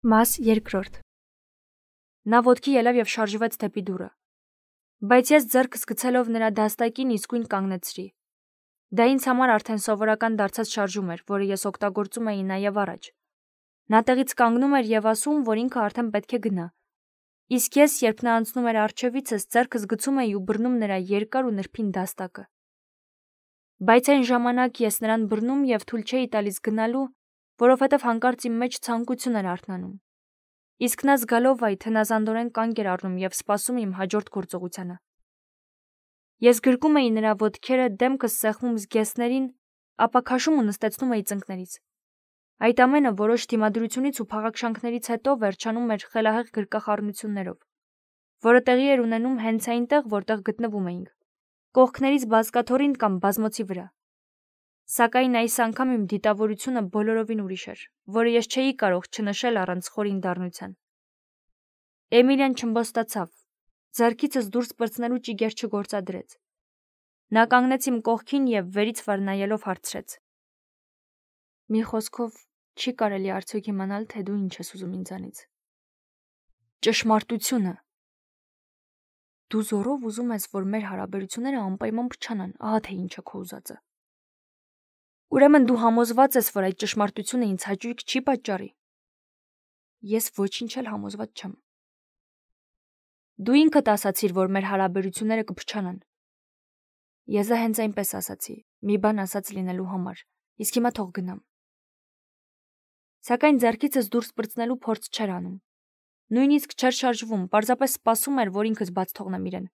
Մաս երկրորդ։ Նա ոտքի ելավ և շարժվեց դեպի դուռը։ Բայց ես ձեռքս գցելով նրա դաստակին իսկույն կանգնեցրի։ Դա ինձ համար արդեն սովորական դարձած շարժում էր, որը ես օգտագործում էի նաև առաջ։ Նա տեղից կանգնում էր և ասում, որ ինքը արդեն պետք է գնա։ Իսկ ես, երբ նա անցնում էր առջևիցս, ձեռքս գցում էի ու բռնում նրա երկար ու նրբին դաստակը։ Բայց այն ժամանակ ես նրան բռնում և թույլ չէի տալիս գնալու, որովհետև հանկարծ իմ մեջ ցանկություն էր արթնանում։ Իսկ նա զգալով այդ հնազանդորեն կանգ էր առնում և սպասում իմ հաջորդ գործողությանը։ Ես գրկում էի նրա ոտքերը, դեմքս սեղմում զգեստներին, ապա քաշում ու նստեցնում էի ծնկներից։ Այդ ամենը որոշ դիմադրությունից ու փաղաքշանքներից հետո վերջանում էր խելահեղ գրկախառնություններով, որը տեղի էր ունենում հենց այնտեղ, որտեղ գտնվում էինք, կողքներից բազկաթոռին կամ բազմոցի վրա։ Սակայն այս անգամ իմ դիտավորությունը բոլորովին ուրիշ էր, որը ես չէի կարող չնշել առանց խորին դառնության։ Էմիլիան չըմբոստացավ, ձեռքիցս դուրս պրծնելու ճիգեր չգործադրեց։ Նա կանգնեց իմ կողքին և վերից վար նայելով հարցրեց. «Մի խոսքով, չի կարելի արդյոք իմանալ, թե դու ինչ ես ուզում ինձանից»։ Ճշմարտությունը։ Դու զորով ուզում ես, որ մեր հարաբերությունները անպայման փչանան, ահա թե ինչ է քո ուզածը։ Ուրեմն դու համոզված ես, որ այդ ճշմարտությունը ինձ հաճույք չի պատճառի։ Ես ոչինչ էլ համոզված չեմ։ Դու ինքդ ասացիր, որ մեր հարաբերությունները կփչանան։ Ես դա հենց այնպես ասացի, մի բան ասած լինելու համար, իսկ հիմա թող գնամ։ Սակայն ձեռքիցս դուրս պրծնելու փորձ չէր անում։ Նույնիսկ չէր շարժվում, պարզապես սպասում էր, որ ինքս բաց թողնեմ իրեն։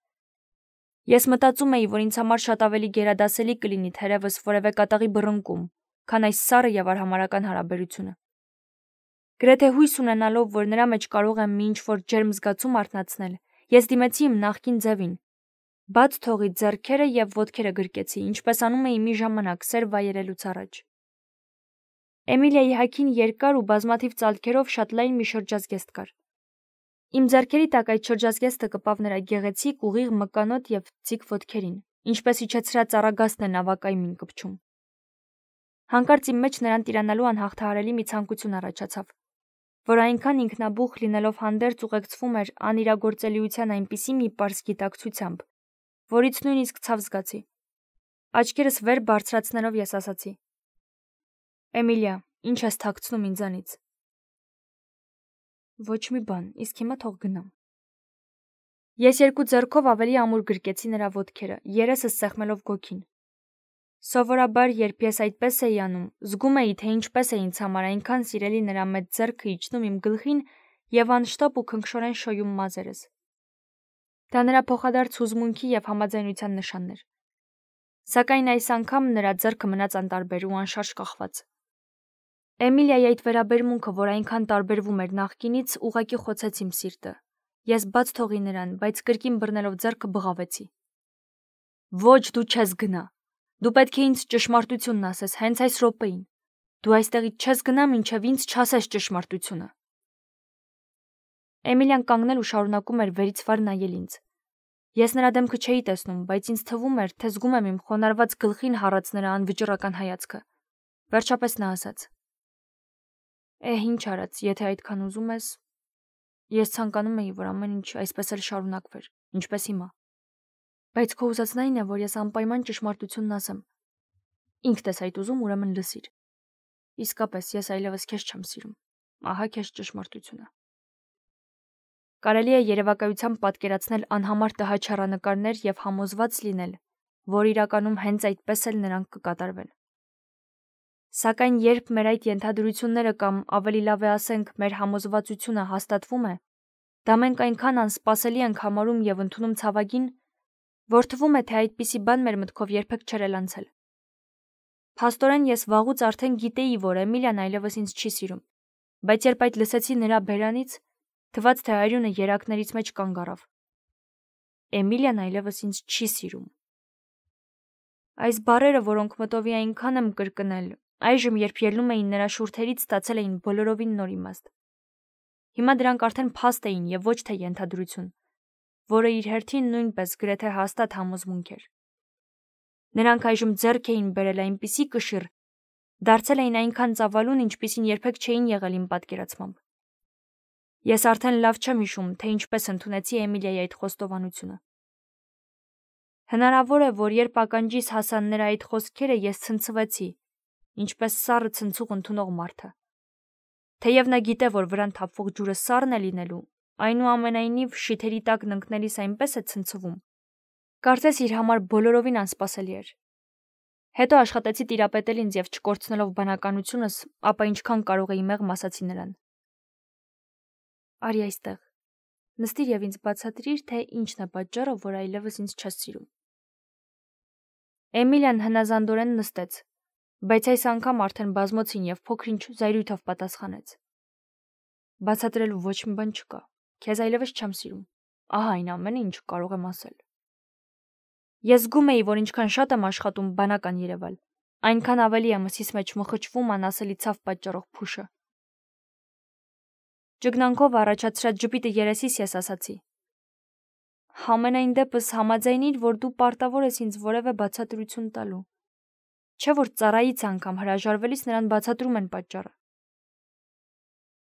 Ես մտածում էի, որ ինձ համար շատ ավելի գերադասելի կլինի թերևս որևէ կատաղի բռնկում, քան այս սառը և արհամարհական հարաբերությունը։ Գրեթե հույս ունենալով, որ նրա մեջ կարող եմ մի ինչ-որ ջերմ զգացում արթնացնել, ես դիմեցի իմ նախկին ձևին։ Բաց թողի ձեռքերը և ոտքերը գրկեցի, ինչպես անում էի մի ժամանակ սեր վայելելուց առաջ։ Էմիլիայի հագին երկար ու բազմաթիվ ծալքերով շատ լայն մի շրջազգեստ կար։ Իմ ձեռքերի տակ այդ շրջազգեստը կպավ նրա գեղեցիկ, ուղիղ մկանոտ և ձիգ ոտքերին, ինչպես իջեցրած առագաստն է նավակայմին կպչում։ Հանկարծ իմ մեջ նրան տիրանալու անհաղթահարելի մի ցանկություն առաջացավ, որ այնքան ինքնաբուխ լինելով հանդերձ ուղեկցվում էր անիրագործելիության այնպիսի մի պարզ գիտակցությամբ, որից նույնիսկ ցավ զգացի։ Աչքերս վեր բարձրացնելով ես ասացի. Էմիլիա, ինչ ես թաքցնում ինձանից։ Ոչ մի բան, իսկ հիմա թող գնամ։ Ես երկու ձեռքով ավելի ամուր գրկեցի նրա ոտքերը, երեսս սեղմելով գոգին։ Սովորաբար, երբ ես այդպես էի անում, զգում էի, թե ինչպես է ինձ համար այնքան սիրելի նրա մեծ ձեռքը իջնում իմ գլխին և անշտապ ու քնքշորեն շոյում մազերս։ Դա նրա փոխադարձ հուզմունքի և համաձայնության նշանն էր։ Սակայն այս անգամ նրա ձեռքը մնաց անտարբեր ու անշարժ կախված։ Էմիլիայի այդ վերաբերմունքը, որ այնքան տարբերվում էր նախկինից, ուղղակի խոցեց իմ սիրտը։ Ես բաց թողի նրան, բայց կրկին բռնելով ձեռքը բղավեցի։ Ոչ, դու չես գնա։ Դու պետք է ինձ ճշմարտությունն ասես հենց այս րոպեին։ Դու այստեղից չես գնա, մինչև ինձ չասես ճշմարտությունը։ Էմիլիան կանգնել ու շարունակում էր վերից վար նայել ինձ։ Ես նրա դեմքը չէի տեսնում, բայց ինձ թվում էր, թե զգում եմ իմ խոնարհված գլխին հառած նրա անվճռական հայացքը։ Վերջապես նա ասաց. Ինչ արած, եթե այդքան ուզում ես, ես ցանկանում էի, որ ամեն ինչ այսպես էլ շարունակվեր, ինչպես հիմա։ Բայց քո ուզածն այն է, որ ես անպայման ճշմարտությունն ասեմ։ Ինքդ ես այդ ուզում, ուրեմն լսիր։ Իսկապես, ես այլևս քեզ չեմ սիրում։ Ահա քեզ ճշմարտությունը։ Կարելի է երևակայությամբ պատկերացնել անհամար տհաճ և համոզված լինել, որ իրականում հենց այդպես էլ նրանք կկատարվեն։ Սակայն երբ մեր այդ ենթադրությունները կամ ավելի լավ է ասենք, մեր համոզվածությունը հաստատվում է, դա մենք այնքան անսպասելի ենք համարում և ընդունում ցավագին, որ թվում է, թե այդպիսի բան մեր մտքով երբեք չէր էլ անցել։ Փաստորեն ես վաղուց արդեն գիտեի, որ Էմիլիան այլևս ինձ չի սիրում, բայց երբ այդ լսեցի նրա բերանից, թվաց, թե արյունը երակներից մեջ կանգ առավ։ Էմիլիան այլևս ինձ չի սիրում։ Այս բառերը, որոնք մտովի այնքան եմ կրկնել, այժմ, երբ ելնում էին նրա շուրթերից, ստացել էին բոլորովին նոր իմաստ։ Հիմա դրանք արդեն փաստ էին և ոչ թե ենթադրություն, որը իր հերթին նույնպես գրեթե հաստատ համոզմունք էր։ Նրանք այժմ ձեռք էին բերել այնպիսի կշիռ, դարձել էին այնքան ծավալուն, ինչպիսին երբեք չէին եղել իմ պատկերացմամբ։ Ես արդեն լավ չեմ հիշում, թե ինչպես ընդունեցի Էմիլիայի այդ խոստովանությունը։ Հնարավոր է, որ երբ ականջիս հասան նրա այդ խոսքերը, ես ցնցվեցի, ինչպես սառը ցնցուղ ընդունող մարդը։ Թեև նա գիտե, որ վրան թափվող ջուրը սառն է լինելու, այնուամենայնիվ շիթերի տակն ընկնելիս այնպես է ցնցվում։ Կարծես իր համար բոլորովին անսպասելի էր։ Հետո աշխատեցի տիրապետել ինձ եւ չկորցնելով բանականությունս, ապա ինչքան կարող էի մեղմ ասացի նրան։ Արի այստեղ։ Նստիր եւ ինձ բացատրիր, թե ինչն է պատճառը, որ այլևս ինձ չես սիրում։ Էմիլիան հնազանդորեն նստեց, բայց այս անգամ արդեն բազմոցին եւ փոքրինչ զայրույթով պատասխանեց։ Բացատրելու ոչ մի բան չկա։ Քեզ այլևս չեմ սիրում։ Ահա այն ամենը, ինչ կարող եմ ասել։ Ես զգում էի, որ ինչքան շատ եմ աշխատում բանական երևալ, այնքան ավելի է մսիս մեջ մխճվում անասելի ցավ պատճառող փուշը։ Ճգնանքով առաջացրած ժպիտը երեսիս ես ասացի. Համենայն դեպս համաձայնիր, որ դու պարտավոր ես ինձ որևէ բացատրություն տալու։ Չէ՞ որ ծառայից անգամ հրաժարվելիս նրան բացատրում են պատճառը։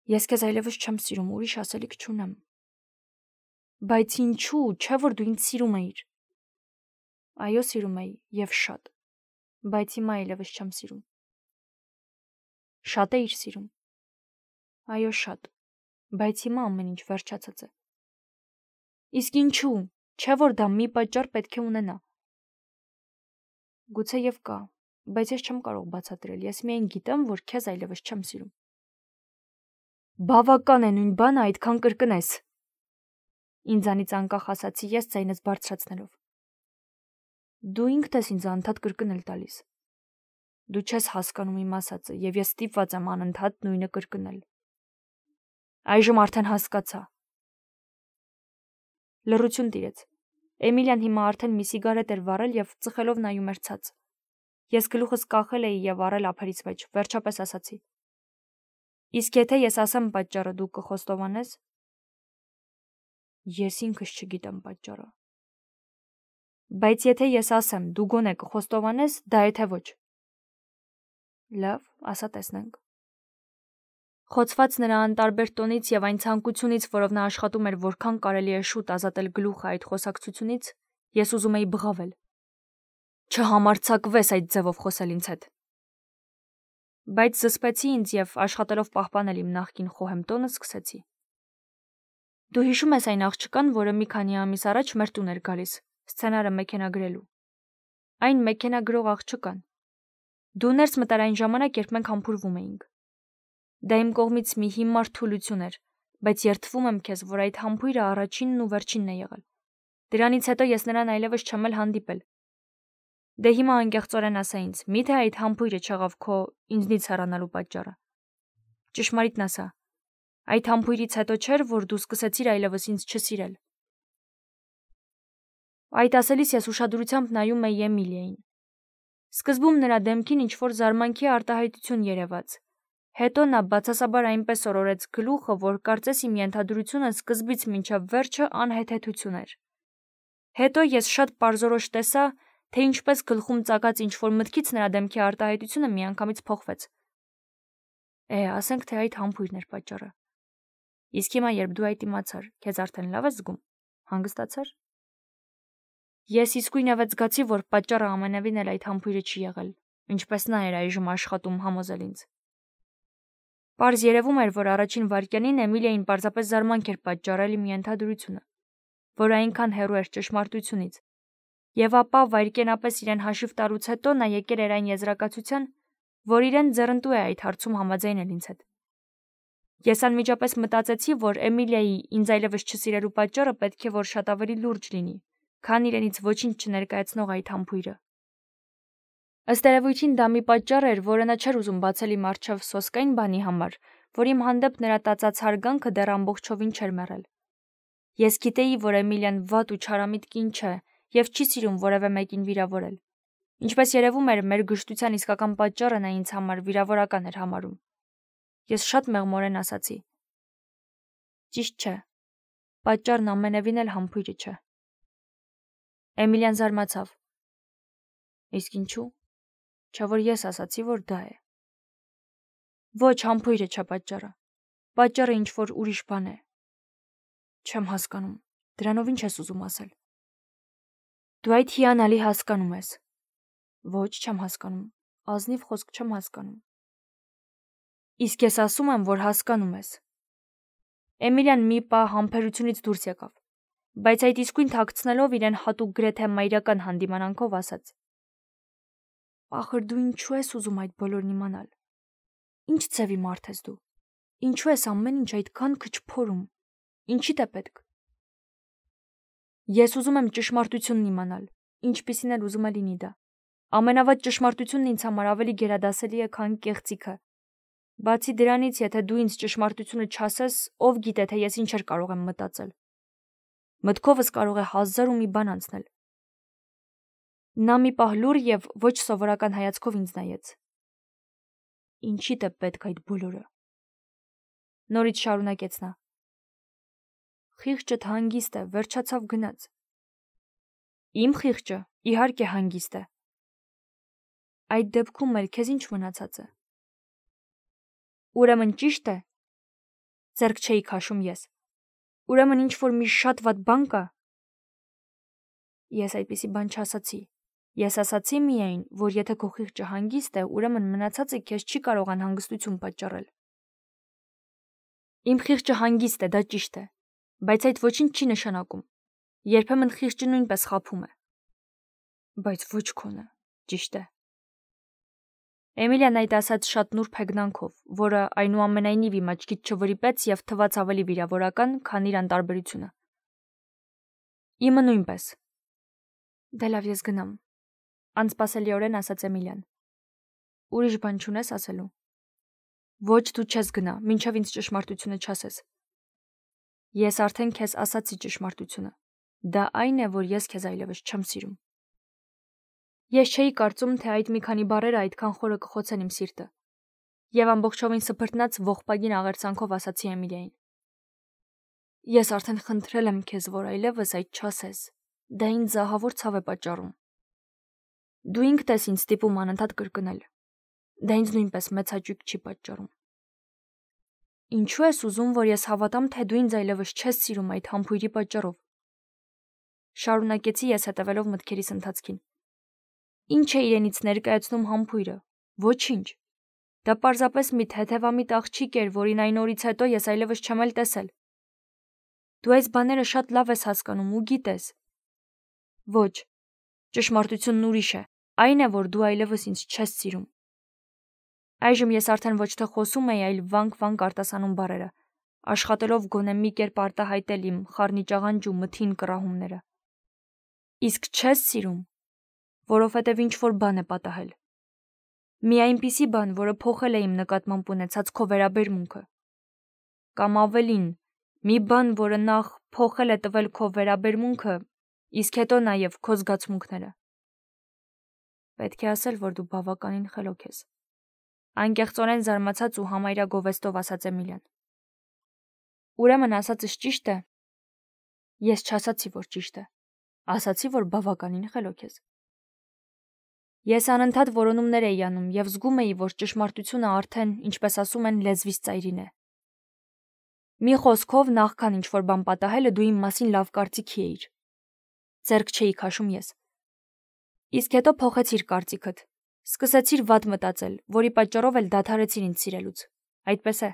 Ես քեզ այլևս չեմ սիրում, ուրիշ ասելիք չունեմ։ Բայց ինչու, չէ՞ որ դու ինձ սիրում էիր։ Այո, սիրում էի եւ շատ, բայց հիմա այլևս չեմ սիրում։ Շատ էիր սիրում։ Այո, շատ, բայց հիմա ամեն ինչ վերջացած է։ Իսկ ինչու, չէ՞ որ դա մի պատճառ պետք է ունենա։ Գուցե եւ կա, բայց ես չեմ կարող բացատրել, ես միայն գիտեմ, որ քեզ այլևս չեմ սիրում։ Բավական է նույն բանը այդքան կրկնես։ Ինձանից անկախ ասացի ես ձայնս բարձրացնելով։ Դու ինքդ ես ինձ անդադ կրկնել տալիս։ Դու չես հասկանում իմ ասածը, եւ ես ստիպված եմ անընդհատ նույնը կրկնել։ Այժմ արդեն հասկացա։ Լռություն տիրեց։ Էմիլիան հիմա արդեն մի սիգարետ էր վառել եւ ծխելով նայում էր ցած։ Ես գլուխս կախել էի եւ առել ափերից մեջ, վերջապես ասացի. Իսկ եթե ես ասեմ պատճառը, դու կխոստովանես։ Ես ինքս չգիտեմ պատճառը։ Բայց եթե ես ասեմ, դու գոնե կխոստովանես, դա եթե ոչ։ Լավ, ասա տեսնենք։ Խոցված նրա անտարբեր տոնից եւ այն ցանկությունից, որով նա աշխատում էր որքան կարելի է շուտ ազատել գլուխը այդ խոսակցությունից, ես ուզում էի բղավել։ Չհամարձակվես այդ ձևով խոսել ինձ հետ։ Բայց զսպեցի ինձ եւ աշխատելով պահպանել իմ նախկին խոհեմ տոնը սկսեցի։ Դու հիշում ես այն աղջկան, որը մի քանի ամիս առաջ մեր տուն էր գալիս, սցենարը մեքենագրելու։ Այն մեքենագրող աղջկան։ Դու ներս մտար այն ժամանակ, երբ մենք համբուրվում էինք։ Դա իմ կողմից մի հիմար թուլություն էր, բայց երդվում եմ քեզ, որ այդ համբույրը առաջինն ու վերջինն է եղել։ Դրանից հետո ես նրան այլևս չեմ էլ հանդիպել։ Դե հիմա անկեղծորեն ասա ինձ, միթե այդ համբույրը չեղավ քո ինձնից հեռանալու պատճառը։ Ճշմարիտն ասա, այդ համբույրից հետո չէր, որ դու սկսեցիր այլևս ինձ չսիրել։ Այդ ասելիս ես ուշադրությամբ նայում էի Էմիլիային։ Սկզբում նրա դեմքին ինչ-որ զարմանքի արտահայտություն երևաց։ Հետո նա բացասաբար այնպես օրորեց գլուխը, որ կարծես իմ ենթադրությունը սկզբից մինչև վերջը անհեթեթություն էր։ Հետո ես շատ պարզորոշ տեսա, թե ինչպես գլխում ծակած ինչ-որ մտքից նրա դեմքի արտահայտությունը միանգամից փոխվեց։ Ասենք թե այդ համբույրն էր պատճառը։ Իսկ հիմա երբ դու այդ իմացար, քեզ արդեն լավ ես զգում, հանգստացար։ Ես իսկույնևեթ զգացի, որ պատճառը ամենևին էլ այդ համբույրը չի եղել, ինչպես նա էր այժմ աշխատում համոզել ինձ։ Պարզ երևում էր, որ առաջին վայրկյանին Էմիլիային պարզապես զարմանք էր պատճառել իմ ենթադրությունը, որ այնքան հեռու էր ճշմարտությունից, եւ ապա վայրկենապես իրեն հաշիվ տալուց հետո նա եկել էր այն եզրակացության, որ իրեն ձեռնտու է այդ հարցում համաձայնել ինձ հետ։ Ես անմիջապես մտածեցի, որ Էմիլիայի ինձ այլևս չսիրելու պատճառը պետք է որ շատ ավելի լուրջ լինի, քան իրենից ոչինչ չներկայացնող այդ համբույրը։ Ըստ երևույթին դա մի պատճառ էր, որը նա չէր ուզում բացել իմ առջև սոսկային բանի համար, որ իմ հանդեպ նրա տածած հարգանքը դեռ ամբողջովին չէր մեռել։ Ես գիտեի, որ Էմիլիան վատ ու չարամիտ կին չէ եւ չի սիրում որևէ մեկին վիրավորել։ Ինչպես երևում էր, մեր գժտության իսկական պատճառը նա ինձ համար վիրավորական էր համարում։ Ես շատ մեղմորեն ասացի. Ճիշտ չէ։ Պատճառն ամենևին էլ համբույրը չէ։ Էմիլիան զարմացավ։ Իսկ ինչու՞։ Չէ՞ որ ես ասացի, որ դա է։ Ոչ, համբույրը չէ պատճառը։ Պատճառը ինչ-որ ուրիշ բան է։ Չեմ հասկանում, դրանով ինչ ես ուզում ասել։ Դու այդ հիանալի հասկանում ես։ Ոչ, չեմ հասկանում, ազնիվ խոսք չեմ հասկանում։ Իսկ ես ասում եմ, որ հասկանում ես։ Էմիլիան մի պահ համբերությունից դուրս եկավ, բայց այդ իսկույն թաքցնելով իրեն հատուկ գրեթե մայրական հանդիմանանքով ասաց. Ախր դու ինչու ես ուզում այդ բոլորն իմանալ։ Ինչ ձևի մարդ ես դու։ Ինչու ես ամեն ինչ այդքան քչփորում։ Ինչի՞դ է պետք։ Ես ուզում եմ ճշմարտությունն իմանալ, ինչպիսին էլ ուզում է լինի դա։ Ամենավատ ճշմարտությունն ինձ համար ավելի գերադասելի է, քան կեղծիքը։ Բացի դրանից, եթե դու ինձ ճշմարտությունը չասես, ով գիտե, թե ես ինչեր կարող եմ մտածել։ Մտքովս կարող է 1000 բան անցնել։ Նա մի պահ լուռ եւ ոչ սովորական հայացքով ինձ նայեց։ Ինչի՞դ է պետք այդ բոլորը։ Նորից շարունակեց նա։ Խիղճդ հանգիստ է, վերջացավ գնաց։ Իմ խիղճը, իհարկե հանգիստ է։ Այդ դեպքում էլ քեզ ինչ մնացած է։ Ուրեմն ճիշտ է։ Ձեռք չէի քաշում ես։ Ուրեմն ինչ-որ մի շատ վատ բան կա։ Ես այդպիսի բան չասացի։ Ես ասացի միայն, որ եթե քո խիղճը հանգիստ է, ուրեմն մնացածը քեզ չի կարող անհանգստություն պատճառել։ Իմ խիղճը հանգիստ է, դա ճիշտ է, բայց այդ ոչինչ չի նշանակում։ Երբեմն խիղճը նույնպես խաբում է։ Բայց ոչ քոնը, ճիշտ է։ Էմիլիան այդ ասաց շատ նուրբ հեգնանքով, որը այնուամենայնիվ իմ աչքից չվրիպեց եւ թվաց ավելի վիրավորական, քան իր անտարբերությունը։ Իմը նույնպես։ Դե լավ, ես գնամ, անսպասելիորեն ասաց Էմիլիան։ Ուրիշ բան չունես ասելու։ Ոչ, դու չես գնա, մինչև ինձ ճշմարտությունը չասես։ Ես արդեն քեզ ասացի ճշմարտությունը։ Դա այն է, որ ես քեզ այլևս չեմ սիրում։ Ես չէի կարծում, թե այդ մի քանի բառերը այդքան խորը կխոցեն իմ սիրտը։ Եվ ամբողջովին սփռտնած ողբագին աղերսանքով ասացի Էմիլիային. Ես արդեն խնդրել եմ քեզ, որ այլևս այդ չասես։ Դա ինձ զահավոր ցավ է պատճառում։ Դու ինքդ ես ինձ ստիպում անընդհատ կրկնել։ Դա ինձ նույնպես մեծ հաճույք չի պատճառում։ Ինչու ես ուզում, որ ես հավատամ, թե դու ինձ այլևս չես սիրում այդ համբույրի պատճառով։ Շարունակեցի ես հետևելով մտքերիս ընթացքին։ Ինչ է իրենից ներկայացնում համբույրը։ Ոչինչ։ Դա պարզապես մի թեթևամիտ աղջիկ էր, որին այն օրից հետո ես այլևս չեմ էլ տեսել։ Դու այս բաները շատ լավ ես հասկանում ու գիտես։ Ոչ, ճշմարտությունն ուրիշ է։ Այն է, որ դու այլևս ինձ չես սիրում։ Այժմ ես արդեն ոչ թե խոսում էի, այլ վանք-վանք արտասանում բառերը, աշխատելով գոնե մի կերպ արտահայտել իմ խառնիճաղանջ ու մթին կռահումները։ Իսկ չես սիրում, որովհետև ինչ-որ բան է պատահել։ Մի այնպիսի բան, որը փոխել է իմ նկատմամբ ունեցած քո վերաբերմունքը։ Կամ ավելին, մի բան, որը նախ փոխել է տվել քո վերաբերմունքը, իսկ հետո նաև քո զգացմունքները։ Պետք է ասել, որ դու բավականին խելոք ես։ Անկեղծորեն զարմացած ու համարյա գովեստով ասաց Էմիլիան։ Ուրեմն ասածս ճիշտ է։ Ես չասացի, որ ճիշտ է։ Ասացի, որ բավականին խելոք ես։ Ես անընդհատ որոնումներ էի անում եւ զգում էի, որ ճշմարտությունը արդեն, ինչպես ասում են, լեզվից ծայրին է։ Մի խոսքով, նախքան ինչ-որ բան պատահելը դու իմ մասին լավ կարծիքի էիր։ Ձեռք չէի քաշում ես։ Իսկ հետո փոխեցիր կարծիքդ։ Սկսեցիր վատ մտածել, որի պատճառով էլ դադարեցիր ինձ սիրելուց։ Այդպես է։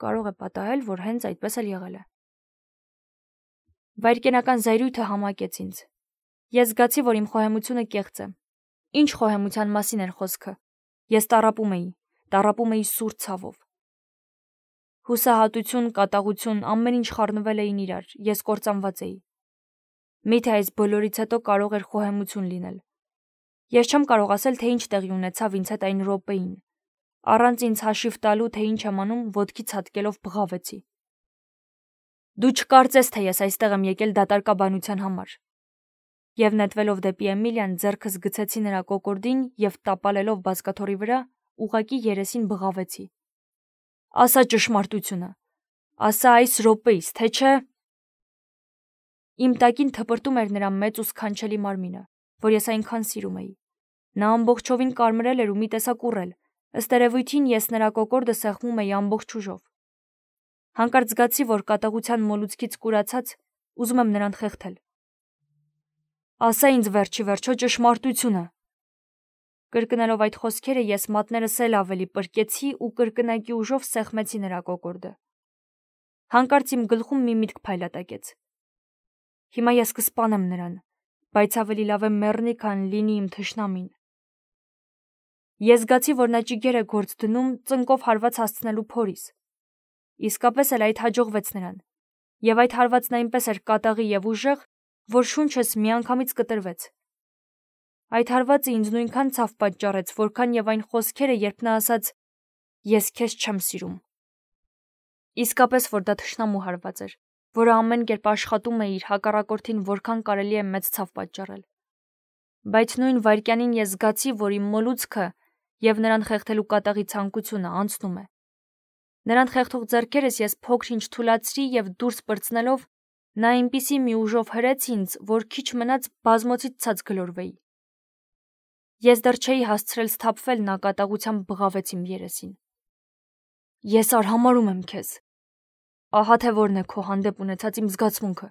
Կարող է պատահել, որ հենց այդպես էլ եղել է։ Վայրկենական զայրույթը համակեց ինձ։ Ես զգացի, որ իմ խոհեմությունը կեղծ է։ Ինչ խոհեմության մասին էր խոսքը։ Ես տառապում էի սուր ցավով։ Հուսահատություն, կատաղություն, ամեն ինչ խառնվել էին իրար, ես կործանված էի։ Միթե այս բոլորից հետո կարող էր խոհեմություն լինել։ Ես չեմ կարող ասել, թե ինչ տեղի ունեցավ ինձ հետ այն րոպեին։ Առանց ինձ հաշիվ տալու, թե ինչ եմ անում, ոտքից հատկելով բղավեցի։ Դու չկարծես, թե ես այստեղ եմ եկել դատարկաբանության համար։ Եվ նետվելով դեպի Էմիլիան, ձեռքս գցեցի նրա կոկորդին եւ տապալելով բազկաթոռի վրա, ուղակի երեսին բղավեցի։ Ասա ճշմարտությունը։ Ասա այս րոպեից, թե չէ։ Իմ տակին թպրտում էր նրա մեծ ու սքանչելի մարմինը, որ ես այնքան սիրում էի։ Նա ամբողջովին կարմրել էր ու մի տեսակ ուռել։ Ըստ երևույթին ես նրա կոկորդը սեղմում էի ամբողջ ուժով։ Հանկարծ զգացի, որ կատաղության մոլուցքից կուրացած ուզում եմ նրան խեղդել։ Ասա ինձ վերջի վերջո ճշմարտությունը։ Կրկնելով այդ խոսքերը ես մատներս էլ ավելի պրկեցի ու կրկնակի ուժով սեղմեցի նրա կոկորդը։ Հանկարծ իմ գլխում մի միտք փայլատակեց։ Հիմա ես կսպանեմ նրան, բայց ավելի լավ է մեռնի, քան լինի իմ թշնամին։ Ես զգացի, որ նա ճիգեր է գործ դնում ծնկով հարված հասցնելու փորիս։ Իսկապես էլ այդ հաջողվեց նրան, եւ այդ հարվածն այնպես էր կատաղի եւ ուժեղ, որ շունչս միանգամից կտրվեց։ Այդ հարվածը ինձ նույնքան ցավ պատճառեց, որքան եւ այն խոսքերը, երբ նա ասաց. «Ես քեզ չեմ սիրում»։ Իսկապես որ դա թշնամու հարված էր, որը ամեն կերպ աշխատում է իր հակառակորդին որքան կարելի է մեծ ցավ պատճառել։ Բայց նույն վայրկյանին ես զգացի, որ իմ մոլուցքը եւ նրան խեղդելու կատաղի ցանկությունը անցնում է։ Նրան խեղդող ձեռքերս ես փոքր-ինչ թուլացրի եւ դուրս պրծնելով նա այնպիսի մի ուժով հրեց ինձ, որ քիչ մնաց բազմոցից ցած գլորվեի։ Ես դեռ չէի հասցրել սթափվել, նա կատաղությամբ բղավեց իմ երեսին։ Ես արհամարհում եմ քեզ։ Ահա թե որն է քո հանդեպ ունեցած իմ զգացմունքը։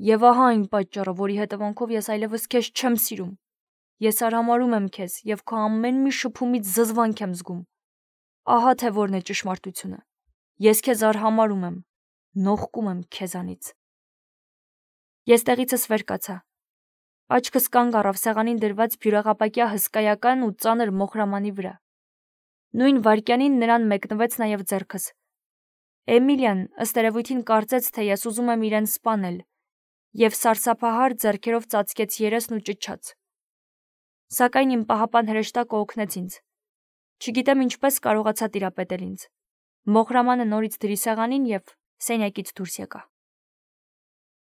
Եվ ահա այն պատճառը, որի հետևանքով ես այլևս քեզ չեմ սիրում։ Ես արհամարհում եմ քեզ եւ քո ամեն մի շփումից զզվանք եմ զգում։ Ահա թե որն է ճշմարտությունը։ Ես քեզ արհամարհում եմ, նողկում եմ քեզանից։ Ես տեղիցս վեր կացա։ Աչքս կանգ առավ սեղանին դրված բյուրեղապակյա հսկայական ու ծանր մոխրամանի վրա։ Նույն վայրկյանին նրան մեկնվեց նաև ձեռքս։ Էմիլիան ըստ երևույթին կարծեց, թե ես ուզում եմ իրեն սպանել, եւ սարսափահար ձեռքերով ծածկեց երեսն ու ճչաց։ Սակայն իմ պահապան հրեշտակը օգնեց ինձ։ Չգիտեմ ինչպես կարողացա տիրապետել ինձ։ Մոխրամանը նորից դրի սեղանին եւ սենյակից դուրս եկա։